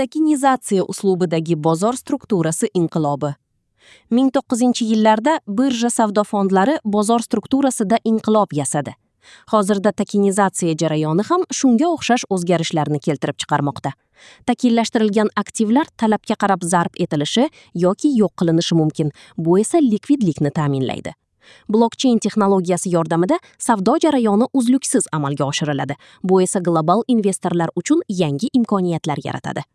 Tokenizatsiya uslubidagi bozor strukturasi inqilobi. 1900-yillarda birja savdo fondlari bozor strukturasida inqilob yasadi. Hozirda tokenizatsiya jarayoni ham shunga o'xshash o'zgarishlarni keltirib chiqarmoqda. Tokenlashtirilgan aktivlar talabga qarab zarb etilishi yoki yo'q qilinishi mumkin. Bu esa likvidlikni ta'minlaydi. Blockchain texnologiyasi yordamida savdo jarayoni uzluksiz amalga oshiriladi. Bu esa global investorlar uchun yangi imkoniyatlar yaratadi.